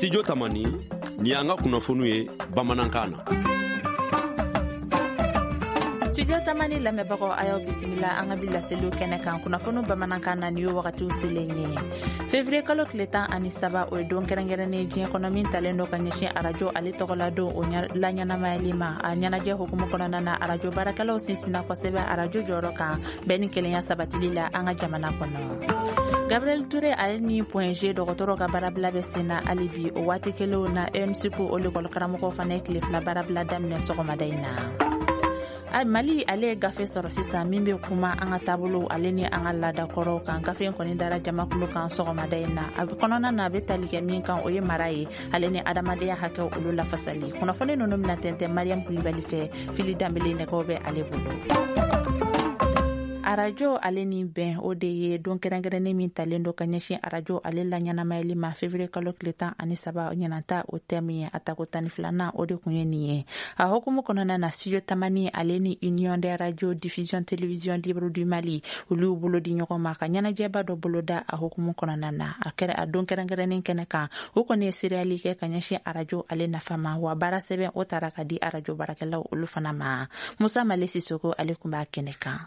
Studio Tamani, ni y'an ka kunnafoniw ye bamanankan na. Studio Tamani lamɛnbagaw, a y'aw bisimila an ka bi laseliw kɛnɛ kan kunnafoniw bamanankan na. Ni ye wagatiw selen ye, février kalo tile 13, o ye don kɛrɛnkɛrɛnnen diɲɛ kɔnɔ min talen don ka ɲɛsin arajo ale tɔgɔla don o laɲɛnamayali ma. A ɲɛnajɛ hukumu kɔnɔna na, arajo baarakɛlaw sinsinna kosɛbɛ arajo jɔyɔrɔ kan bɛɛ ni kelenya sabatili la an ka jamana kɔnɔ. Gabriel Touré ale ni Point G dɔgɔtɔrɔ ka baarabila bɛ sen na hali bi. O waati kelenw na, ENSUP o lekɔli karamɔgɔw fana ye tile 2 baarabila daminɛ sɔgɔmada in na. Mali ale ye gafe sɔrɔ sisan min bɛ kuma an ka taabolo ale ni an ka laadakɔrɔw kan. Gafe in kɔni dara jamakulu kan sɔgɔmada in na. A kɔnɔna na, a bɛ tali kɛ min kan, o ye mara ye ale ni adamadenya hakɛw olu lafasali. Kunnafoni ninnu bɛna tɛntɛn Mariam Kulibali fɛ. Fili Danbele nɛgɛw bɛ ale bolo. Arajo ale ni bɛn, o de ye don kɛrɛnkɛrɛnnen min talen don ka ɲɛsin arajo ale la ɲɛnamayali ma, février kalo tile 13 ɲinanta. O thème ye a tako 12nan, o de kun ye nin ye. A hukumu kɔnɔna na, Studio Tamani ale ni Union des radio diffusion télévision libre du Mali, olu y'u bolo di ɲɔgɔn ma ka ɲɛnajɛba dɔ boloda. A hukumu kɔnɔna na, a kɛra a don kɛrɛnkɛrɛnnen kɛnɛ kan, o kɔni ye seereyali kɛ ka ɲɛsin arajo ale nafa ma. Wa baara sɛbɛn o taara ka di arajo baarakɛlaw olu fana ma. Musa Male Sisoko ale kun b'a kɛnɛ kan.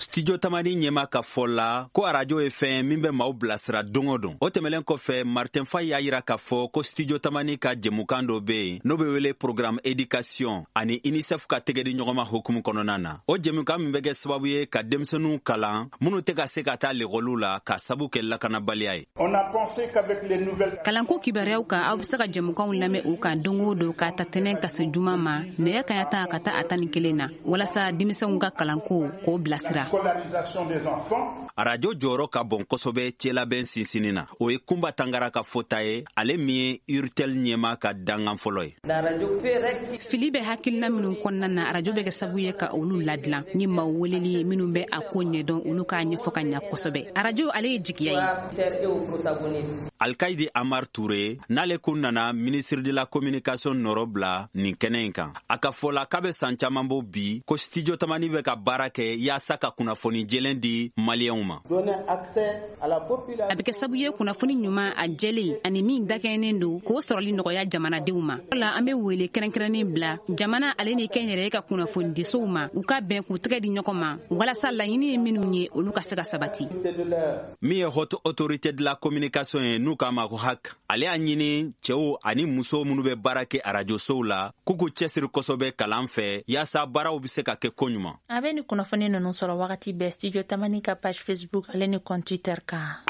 Studio Tamani ɲɛma ka fɔ la ko arajo ye fɛn min bɛ maaw bilasira don o don. O tɛmɛlen kɔfɛ, Martin Fay y'a yira k'a fɔ ko Studio Tamani ka jɛmukan dɔ be yen, n'o be wele programme éducation, ani UNICEF ka tɛgɛdi ɲɔgɔnma hukumu kɔnɔna na. O jɛmukan min bɛ kɛ sababu ye ka denmisɛnninw kalan minnu tɛ ka se ka taa lekɔliw la ka sabu kɛ lakanabaliya ye. Kalanko kibaruyaw kan, aw be se ka jɛmukanw lamɛn o kan don o don, k'a ta tɛnɛn ka se juma ma, nɛgɛ kaɲa 10 ka taa a 11 na, walasa denmisɛnw ka kalanko k'o bilasira. Arajo jɔyɔrɔ ka bon kosɛbɛ cɛlabɛn sinsinni na. O ye Kunba Tangara ka fɔta ye, ale min ye URTEL ɲɛma ka dangan fɔlɔ ye. Fili bɛ hakilina minnu kɔnɔna na, arajo bɛ kɛ sababu ye ka olu ladilan ni maaw weleli ye minnu bɛ a ko ɲɛdɔn, olu k'a ɲɛfɔ ka ɲa kosɛbɛ. Arajo ale ye jigiya ye. Alkaidi Amar Ture, n'ale kun nana ministre de la communication nɔrɔ bila nin kɛnɛ in kan, a ka fɔ la k'a bɛ san caman bɔ bi ko Studio Tamani bɛ ka baara kɛ yaasa ka kunnafoni jɛlen di maliyɛnw ma. A bɛ kɛ sababu ye kunnafoni ɲuman, a jɛlen ani min dakɛɲɛnen don, k'o sɔrɔli nɔgɔya jamanadenw ma. La an bɛ wele kɛrɛnkɛrɛnnen bila jamana ale ni kɛnyɛrɛye ka kunnafonidisow ma, u ka bɛn k'u tɛgɛ di ɲɔgɔn ma, walasa laɲini ye minnu ye, olu ka se ka sabati. Min ye Haute Autorité de la communication ye, n'u k'a ma ko HAC, ale y'a ɲini cɛw ani musow minnu bɛ baara kɛ arajosow la, k'u k'u cɛsiri kosɛbɛ kalan fɛ, yaasa baaraw bɛ se ka kɛ koɲuman. A bɛ ni kunnafoni ninnu sɔrɔ wagati bɛɛ Studio Tamani ka page Facebook ale ni compte Twitter kan.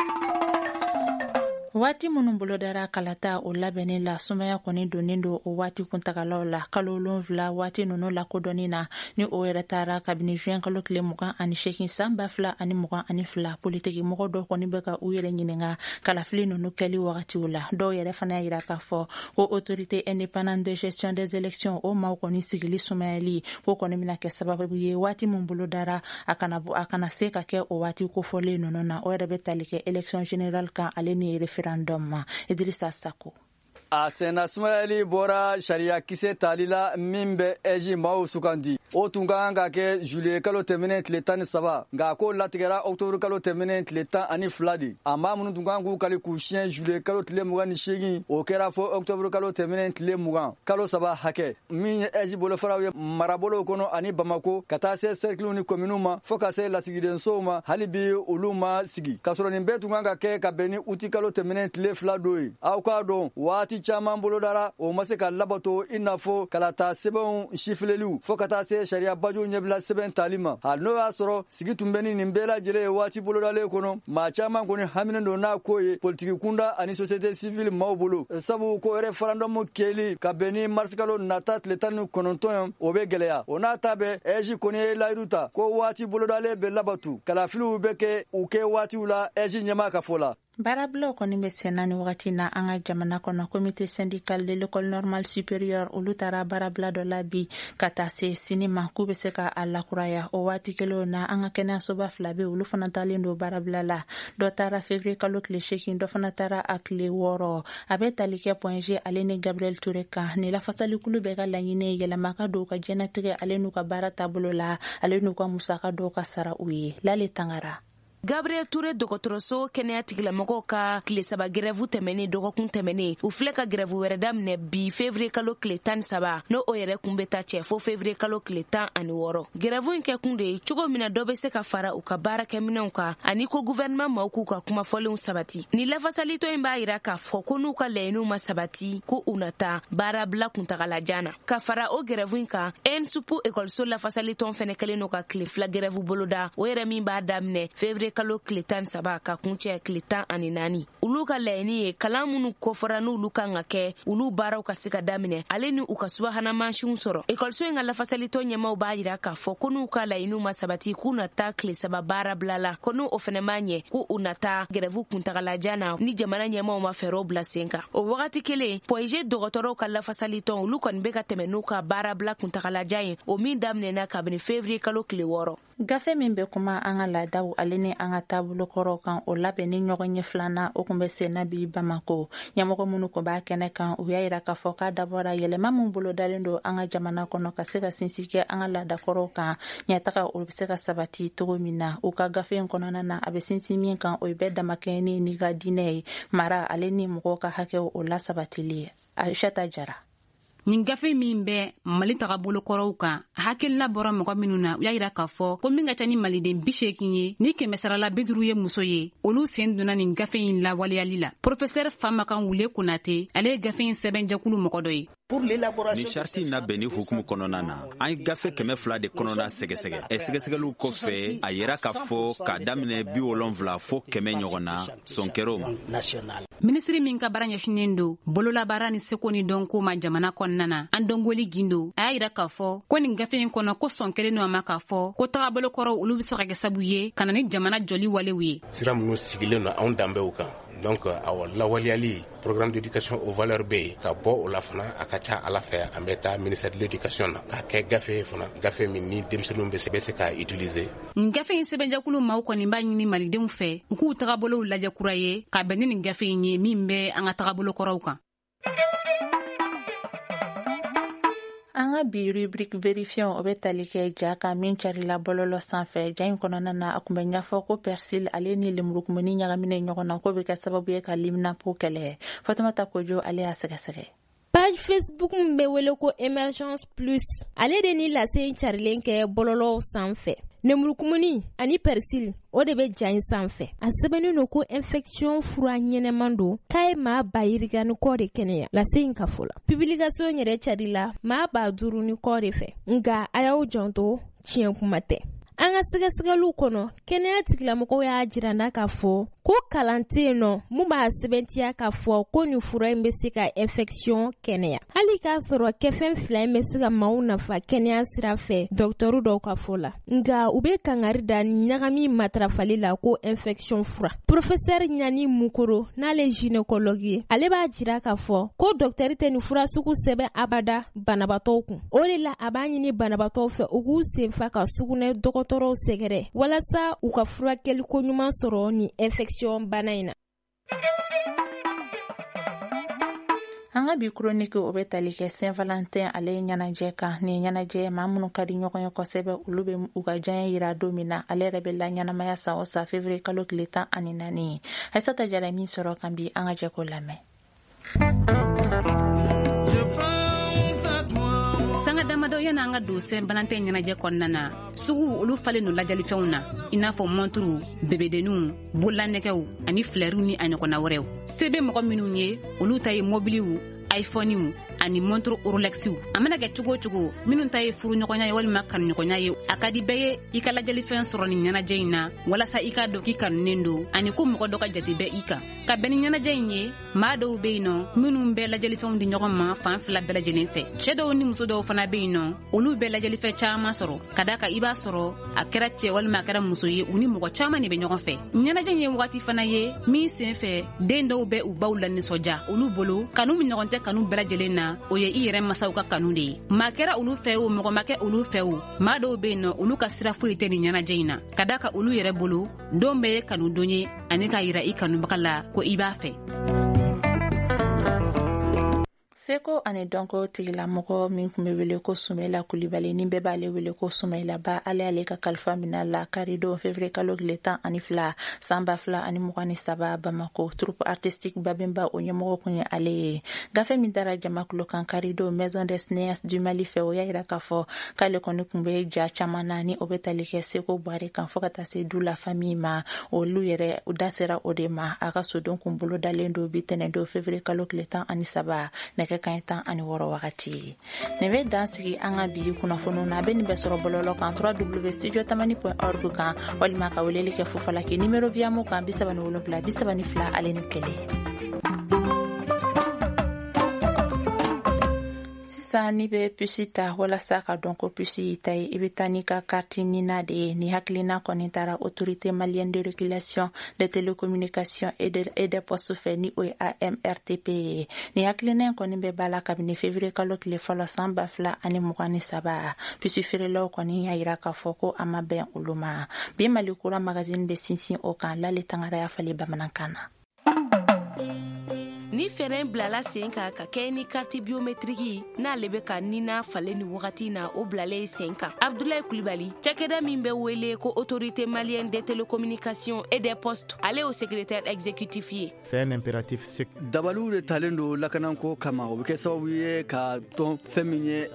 Waati minnu bolodara kalata o labɛnni la, sumaya kɔni donnen don o waati kuntagalaw la. Kalo 7 waati ninnu lakodɔnni na, ni o yɛrɛ taara kabini juin kalo tile 28 san 2022, politiki mɔgɔ dɔw kɔni bɛ ka u yɛrɛ ɲininka kalafili ninnu kɛli wagatiw la. Dɔw yɛrɛ fana y'a yira k'a fɔ ko Autorité indépendante de gestion des élections, o maaw kɔni sigili sumayali ko kɔni bɛna kɛ sababu ye waati min bolodara, a kana a kana se ka kɛ o waati kofɔlen ninnu na. O yɛrɛ bɛ tali kɛ élection générale kan ale ni référendum ma. Idrissa Sako. A senna sumayali bɔra sariya kisɛ tali la min bɛ AIGE maaw sugandi. O tun ka kan ka kɛ juillet kalo tɛmɛnen tile 13, nka ko latigɛra octobre kalo tɛmɛnen tile 12 de. A maa minnu tun kan k'u kali k'u siɲɛ juillet kalo tile 28, o kɛra fɔ octobre kalo tɛmɛnen tile 20, kalo 3 hakɛ. Min ye AIGE bolofaraw ye marabolow kɔnɔ ani Bamako, ka taa se cercles ni communes ma, fɔɔ ka se lasigidensow ma, hali bi olu ma sigi, k'a sɔrɔ nin bɛɛ tun kan ka kɛ ka bɛn ni uti kalo tɛmɛnen tile 2 don ye. Aw k'a dɔn, waati caman bolodara, o ma se ka labato, i n'a fɔ kalata sɛbɛnw sifileliw, fɔɔ ka taa se sariya bajuw ɲɛbila sɛbɛn tali ma. Hali n'o y'a sɔrɔ sigi tun bɛ ni nin bɛɛ lajɛlen ye waati bolodalen kɔnɔ, maa caman kɔni haminen don n'a ko ye politiki kunda ani société civile maaw bolo, sabu ko référendum kɛli ka bɛn ni marisikalo nata tile 19 ye, o bɛ gɛlɛya. O n'a ta bɛɛ, AIGE kɔni ye layidu ta ko waati bolodalen bɛ labatu, kalafiliw bɛ kɛ u kɛ waatiw la, AIGE ɲɛmaa ka fɔ la. Baarabilaw kɔni bɛ senna ni wagati na an ka jamana kɔnɔ. Comité syndical de l'École normale supérieure, olu taara baarabila dɔ la bi ka taa se sini ma, k'u bɛ se ka a lakuraya. O waati kelenw na, an ka kɛnɛyasoba fila bɛ, olu fana taalen don baarabila la. Dɔ taara février kalo tile 8, dɔ fana taara a tile 6. A bɛ tali kɛ Point G ale ni Gabriel Touré kan. Nin lafasalikulu bɛɛ ka laɲini ye yɛlɛma ka don u ka diɲɛnatigɛ ale n'u ka baara taabolo la, ale n'u ka musaka dɔw ka sara u ye. Lale Tangara. Gabriel Touré dɔgɔtɔrɔso kɛnɛya tigilamɔgɔw ka tile 3 grève tɛmɛnen dɔgɔkun tɛmɛnen, u filɛ ka grève wɛrɛ daminɛ bi février kalo tile 13, n'o o yɛrɛ kun bɛ taa cɛ fo février kalo tile 16. Grève in kɛkun de ye cogo min na dɔ bɛ se ka fara u ka baarakɛminɛnw kan, ani ko gouvernement maaw k'u ka kumafɔlenw sabati. Ni lafasalitɔn in b'a yira k'a fɔ ko n'u ka laɲiniw ma sabati, ko u na taa baarabila kuntagalajan na. Ka fara o grève in kan, ENSUP ekɔliso lafasalitɔn fɛnɛ kɛlen don ka tile 2 grève boloda, o yɛrɛ min b'a daminɛ février kalo tile 13 ka kuncɛ tile 14. Olu ka laɲini ye kalan minnu kofɔra n'olu kan ka kɛ, olu baaraw ka se ka daminɛ, ale ni u ka subahana mansinw sɔrɔ. Ekɔliso in ka lafasalitɔn ɲɛmaw b'a yira k'a fɔ ko n'u ka laɲiniw ma sabati, k'u na taa tile 3 baarabila la, ko n'u o fɛnɛ ma ɲɛ, k'u u na taa grève kuntagalajan na ni jamana ɲɛmaw ma fɛɛrɛw bila sen kan. O wagati kelen, Point G dɔgɔtɔrɔw ka lafasalitɔn, olu kɔni bɛ ka tɛmɛ n'u ka baarabila kuntagalajan ye, o min daminɛna kabini février kalo tile 6. Gafe min bɛ kuma an ka laadaw ale ni an ka taabolokɔrɔw kan, o labɛnni ɲɔgɔn ɲɛ filanan, o kun bɛ sen na bi Bamako. Ɲɛmɔgɔ minnu kun b'a kɛnɛ kan, u y'a yira k'a fɔ k'a dabɔra yɛlɛma min bolodalen don an ka jamana kɔnɔ ka se ka sinsin kɛ an ka laadakɔrɔw kan, ɲɛtaga o bɛ se ka sabati cogo min na. U ka gafe in kɔnɔna na, a bɛ sinsin min kan, o ye bɛɛ damakɛɲɛni n'i ka diinɛ ye, mara ale ni mɔgɔw ka hakɛw o lasabatili ye. Aïssata Jara. Nin gafe min bɛ Mali tagabolokɔrɔw kan, hakilina bɔra mɔgɔ minnu na, u y'a yira k'a fɔ ko min ka ca ni maliden 80 ye, ni kɛmɛsarala 50 ye muso ye, olu sen donna nin gafe in lawaleyali la. Professeur Famakan Wule Konate, ale ye gafe in sɛbɛnjɛkulu mɔgɔ dɔ ye. Nin sariti in labɛnni hukumu kɔnɔna na, an ye gafe 200 de kɔnɔna sɛgɛsɛgɛ. Sɛgɛsɛgɛliw kɔfɛ, a yira k'a fɔ k'a daminɛ 70 fo 100 ɲɔgɔn na, sɔn kɛra o ma. Minisiri min ka baara ɲɛsinnen don bololabaara ni seko ni dɔnko ma jamana kɔnɔna na, an dɔngoli Gindo, a y'a yira k'a fɔ ko nin gafe in kɔnɔ, ko sɔn kɛlen don a ma k'a fɔ ko tagabolokɔrɔw olu bɛ se ka kɛ sabu ye ka na ni jamana jɔli walew ye. Sira minnu sigilen don anw danbew kan, donc awɔ, lawaleyali programme d'éducation aux valeurs bɛ yen ka bɔ o la fana. A ka ca ala fɛ, an bɛ taa ministère de l'éducation na k'a kɛ gafe ye fana, gafe min ni denmisɛnninw bɛ se k'a utiliser. Nin gafe in sɛbɛnjɛkulu maaw kɔni b'a ɲini malidenw fɛ, u k'u tagabolow lajɛ kura ye ka bɛn ni nin gafe in ye min bɛ an ka tagabolokɔrɔw kan. An ka bi rubrique vérifiant, o bɛ tali kɛ ja kan min carila bɔlɔlɔ sanfɛ. Ja in kɔnɔna na, a kun bɛ ɲɛfɔ ko persil ale ni lemurukumuni ɲagaminen ɲɔgɔn na, k'o bɛ kɛ sababu ye ka liminapo kɛlɛ. Fatumata Kojo, ale y'a sɛgɛsɛgɛ. Page Facebook min bɛ wele ko Emergence Plus, ale de ni lase in carilen kɛ bɔlɔlɔw sanfɛ. Lemurukumuni ani persil, o de bɛ ja in sanfɛ. A sɛbɛnnen don ko infection fura ɲɛnɛman don, k'a ye maa 20 000 ni kɔ de kɛnɛya. Lase in ka fɔ la, publication yɛrɛ carila maa 5000 ni kɔ de fɛ. Nka a y'aw janto, tiɲɛ kuma tɛ. An ka sɛgɛsɛgɛliw kɔnɔ, kɛnɛya tigilamɔgɔw y'a jira n na k'a fɔ ko kalan tɛ yen nɔ mun b'a sɛbɛntiya k'a fɔ ko nin fura in bɛ se ka infection kɛnɛya, hali k'a sɔrɔ kɛfɛn fila in bɛ se ka maaw nafa kɛnɛya sira fɛ, dɔgɔtɔrɔ dɔw ka fɔ la. Nka u bɛ kangari da ɲagami matarafali la ko infection fura. Professeur Ɲani Mukoro, n'ale gynécologue ye, ale b'a jira k'a fɔ ko dɔgɔtɔrɔ tɛ nin fura sugu sɛbɛn abada banabaatɔw kun. O de la, a b'a ɲini banabaatɔw fɛ, u k'u senfa ka sugunɛ dɔgɔtɔrɔw sɛgɛrɛ walasa u ka furakɛli ko ɲuman sɔrɔ nin infection bana in na. An ka bi chronique, o bɛ tali kɛ Saint Valentin ale ye ɲɛnajɛ kan. Nin ɲɛnajɛ, maa minnu ka di ɲɔgɔn ye kosɛbɛ, olu bɛ u ka diɲɛ yira don min na. Ale yɛrɛ bɛ la ɲɛnamaya san o san février kalo tile 14. Aïssata Jara min sɔrɔ kan bi, an ka jɛ k'o lamɛn. Sanga damadɔ yan'an ka don Saint Valentin ɲɛnajɛ kɔnɔna na, sugu olu falen don lajɛlifɛnw na, i n'a fɔ mɔnturu, bebedenninw, bololanɛgɛw ani filɛriw ni a ɲɔgɔnna wɛrɛw. Se bɛ mɔgɔ minnu ye, olu ta ye mɔbiliw, iPhonew ani montre Rolexw. A mana kɛ cogo o cogo, minnu ta ye furuɲɔgɔnya ye walima kanuɲɔgɔnya ye, a ka di bɛɛ ye i ka lajɛlifɛn sɔrɔ nin ɲɛnajɛ in na, walasa i k'a dɔn k'i kanunen don ani ko mɔgɔ dɔ ka jate bɛ i kan. Ka bɛn ni ɲɛnajɛ in ye, maa dɔw be yen nɔ minnu bɛ lajɛlifɛnw di ɲɔgɔn ma fan fila bɛɛ lajɛlen fɛ. Cɛɛ dɔw ni muso dɔw fana be yen nɔ, olu bɛ lajɛlifɛn caaman sɔrɔ, ka da kan i b'a sɔrɔ a kɛra cɛɛ walima a kɛra muso ye, u ni mɔgɔ caaman de bɛ ɲɔgɔn fɛ. Ɲɛnajɛ ye wagati fana ye min sen fɛ den dɔw bɛ u baw la nisɔndiya. Olu bolo, kanu min ɲɔgɔn tɛ kanu bɛɛ lajɛlen na, o ye i yɛrɛ masaw ka kanu de ye. Maa kɛra olu fɛ o, mɔgɔ ma kɛ olu fɛ o, maa dɔw be yen nɔ, olu ka sira foyi tɛ nin ɲɛnajɛ in na, ka da ka olu yɛrɛ bolo, don bɛɛ ye kanu don ye ani k'a yira i kanubaga la ko i b'a fɛ. Seko ani dɔnko tigilamɔgɔ min tun bɛ wele ko Sumayila Kulibali, ni bɛɛ b'ale wele ko Sumayila Ba, ale ka kalifa minɛ la karidon février kalo tile 12 san 2023 Bamako. Troupe artistique Babemba, o ɲɛmɔgɔ kun ye ale ye. Gafe min dara jamakulu kan karidon Maison des Cinéastes du Mali fɛ, o y'a yira k'a fɔ k'ale kɔni tun bɛ ja caman na ni o bɛ tali kɛ Seko Buware kan, fo ka taa se Du la famille ma. Olu yɛrɛ da sera o de ma. A ka sodon kun bolo dalen don bi tɛnɛndon février kalo tile 13, nɛgɛ kaɲɛ 16 wagati. Nin bɛ dan sigi an ka bi kunnafoniw na. A bɛ nin bɛɛ sɔrɔ bɔlɔlɔ kan www.studiotamani.org kan, walima ka weleli kɛ Fufalaki numéro Viamo kan 77 32 ale ni 1. Sisan, n'i bɛ puce ta, walasa ka dɔn ko puce y'i ta ye, i bɛ taa n'i ka carte NINA de ye. Ni hakilina kɔni taara Autorité malienne de régulation des télécommunications et des postes fɛ, ni o ye AMRTP ye. Ni hakilina in kɔni bɛ ba la kabini février kalo tile fɔlɔ san 2023. Puce feerelaw kɔni y'a yira k'a fɔ ko a ma bɛn olu ma. Bi Mali Kura magazine bɛ sinsin o kan. Lale Tangara y'a falen bamanankan na. Ni fɛɛrɛ bilala sen kan ka kɛ ni carte biométrique, n'ale bɛ ka nina falen ni wagati na, o bilalen sen kan. Abdulayi Kulibali, cakɛda min bɛ wele ko Autorité malienne des télécommunications et des postes, ale y'o secrétaire exécutif ye. C'est un impératif. Dabaliw de talen don lakanako kama. O bɛ kɛ sababu ye ka dɔn fɛn min ye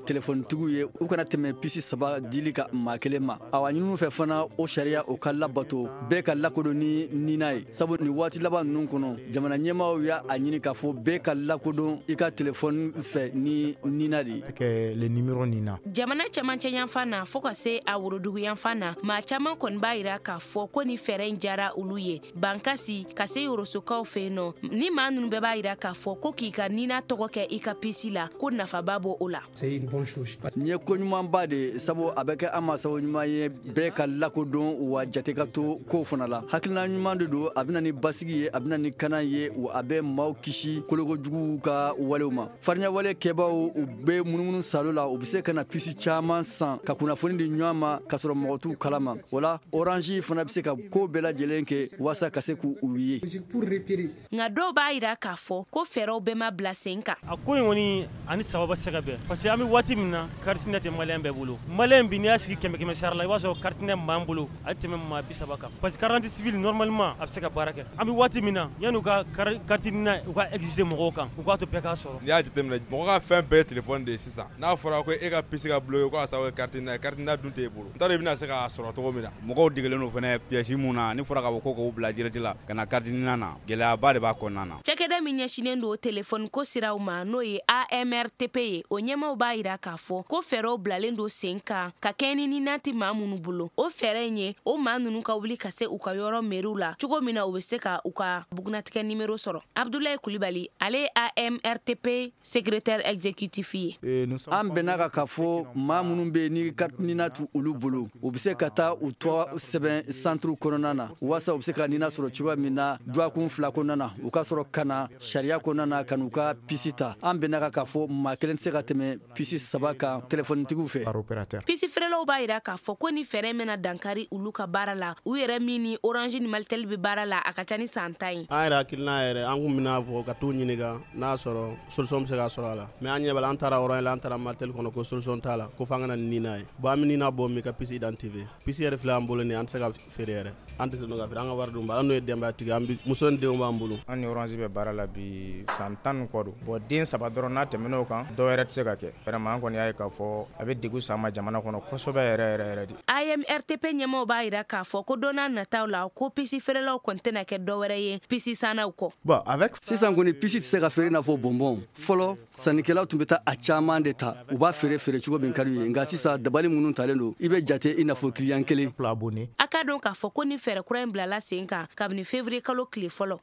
telefɔnitigiw ye, u kana tɛmɛ puce saba dili ka maa kelen ma. Awa, ɲininiw fɛ fana, o sariya o ka labato, bɛɛ ka lakodɔn ni nina ye, sabu nin waati laban ninnu kɔnɔ, jamana ɲɛmaaw y'a a ɲini k'a fɔ bɛɛ ka lakodɔn i ka telefɔni fɛ ni nina de ye. Le numéro NINA. Jamana cɛmancɛ yanfan na fɔɔ ka se a worodugu yanfan na, maa caman kɔni b'a yira k'a fɔ ko ni fɛɛrɛ in jara olu ye. Bankasi ka se Yorosokaw fɛ yen nɔ, ni maa nunu bɛɛ b'a yira k'a fɔ ko k'i ka nina tɔgɔ kɛ i ka puce la, ko nafaba b'o o la. Nin ye ko ɲumanba de, sabu a bɛ kɛ an ma sababu ɲuman ye bɛɛ ka lakodɔn, wa jate ka to kow fana la. Hakilina ɲuman de don. A bɛ na ni basigi ye, a bɛ na ni kana ye, wa a bɛ maaw kisi kolokojuguw ka walew ma. Farinyawale kɛbaw, u bɛ munumunu salo la, u bɛ se ka na puce caman san ka kunnafoni di ɲɔgɔn ma k'a sɔrɔ mɔgɔ t'u kalama. O la, Orange fana bɛ se ka ko bɛɛ lajɛlen kɛ walasa ka se k'u ye. Nka dɔw b'a yira k'a fɔ ko fɛɛrɛw bɛɛ ma bila sen kan. A ko in kɔni ani sababa se ka bɛn, parce que an bɛ waati min na, carte NINA tɛ malien bɛɛ bolo. Malien bi, n'i y'a sigi kɛmɛ kɛmɛ sara la, i b'a sɔrɔ carte NINA b'an bolo a tɛ tɛmɛ maa 30 kan, parce que carte civile normalement a bɛ se ka baara kɛ. An bɛ waati min na, yan'u ka carte NINA u ka exiger mɔgɔw kan, u k'a to bɛɛ k'a sɔrɔ. N'i y'a jateminɛ, mɔgɔ ka fɛn bɛɛ ye téléphone de ye sisan. N'a fɔra ko e ka puce ka bloquer ko a sababu ye carte NINA ye, carte NINA dun t'e bolo, n t'a dɔn i bɛna se k'a sɔrɔ cogo min na. Mɔgɔw degelen don fɛnɛ pièce mun na, ni fɔra k'a fɔ ko k'o bila direct la ka na carte NINA na, gɛlɛyaba de b'a kɔnɔna na. Cakɛda min ɲɛsinnen don telefɔni ko siraw ma, n'o ye AMRTP ye, o ɲɛmaw b'a yira k'a fɔ ko fɛɛrɛw bilalen don sen kan ka kɛ ni nina tɛ maa minnu bolo. O fɛɛrɛ in ye o maa ninnu ka wuli ka se u ka yɔrɔ meriw la cogo min na u bɛ se ka u ka bugunatigɛ nimero sɔrɔ. Abdulayi Kulibali, ale ye AMRTP secrétaire exécutif ye. An bɛnna ka k'a fɔ maa minnu bɛ yen ni carte NINA t'u olu bolo, u bɛ se ka taa u tɔgɔ sɛbɛn centre kɔnɔna na walasa u bɛ se ka NINA sɔrɔ cogoya min na dɔgɔkun 2 kɔnɔna na, u ka sɔrɔ ka na sariya kɔnɔna na ka n'u ka puce ta. An bɛnna ka k'a fɔ maa kelen tɛ se ka tɛmɛ puce saba kan telefɔnitigiw fɛ. Puce feerelaw b'a yira k'a fɔ ko ni fɛɛrɛ bɛna dankari olu ka baara la. U yɛrɛ min ni Orange ni Malitel bɛ baara la, a ka ca ni san 10 ye. An yɛrɛ hakilina yɛrɛ, an kun bɛna fɔ ka t'u ɲininka n'a sɔrɔ solution bɛ se ka sɔrɔ a la, mais an ɲɛ b'a la, an taara Orange la, an taara Malitel kɔnɔ, ko solution t'a la, ko f'an ka na ni NINA ye. Bon, an bɛ NINA bɔ min ka puce identifier, puce yɛrɛ filɛ an bolo nin, an tɛ se ka feere yɛrɛ, an tɛ se ka feere, an ka wari dun ba an n'o ye denbayatigi, an bɛ muso ni denw b'an bolo. An ni Orange bɛ baara la bi san 10 ni kɔ don. Bon, den saba dɔrɔn, n'a tɛmɛn'o kan, dɔw yɛrɛ tɛ se ka kɛ. Vraiment, an kɔni y'a ye k'a fɔ a bɛ degun s'an ma jamana kɔnɔ kosɛbɛ yɛrɛ yɛrɛ yɛrɛ de. AMRTP ɲɛmaaw b'a yira k'a fɔ ko don n'a nataw la, ko puce feerelaw kɔni tɛna kɛ dɔwɛrɛ ye puce sannaw kɔ. Bon, avec sisan kɔni, puce tɛ se ka feere i n'a fɔ bonbon. Fɔlɔ, sannikɛlaw tun bɛ taa a caman de ta, u b'a feere feere cogo min ka d'u ye. Nka sisan, dabali minnu talen don, i bɛ jate i n'a fɔ client kelen. A ka dɔn k'a fɔ ko ni fɛɛrɛ kura in bilala sen kan kabini février kalo tile fɔlɔ.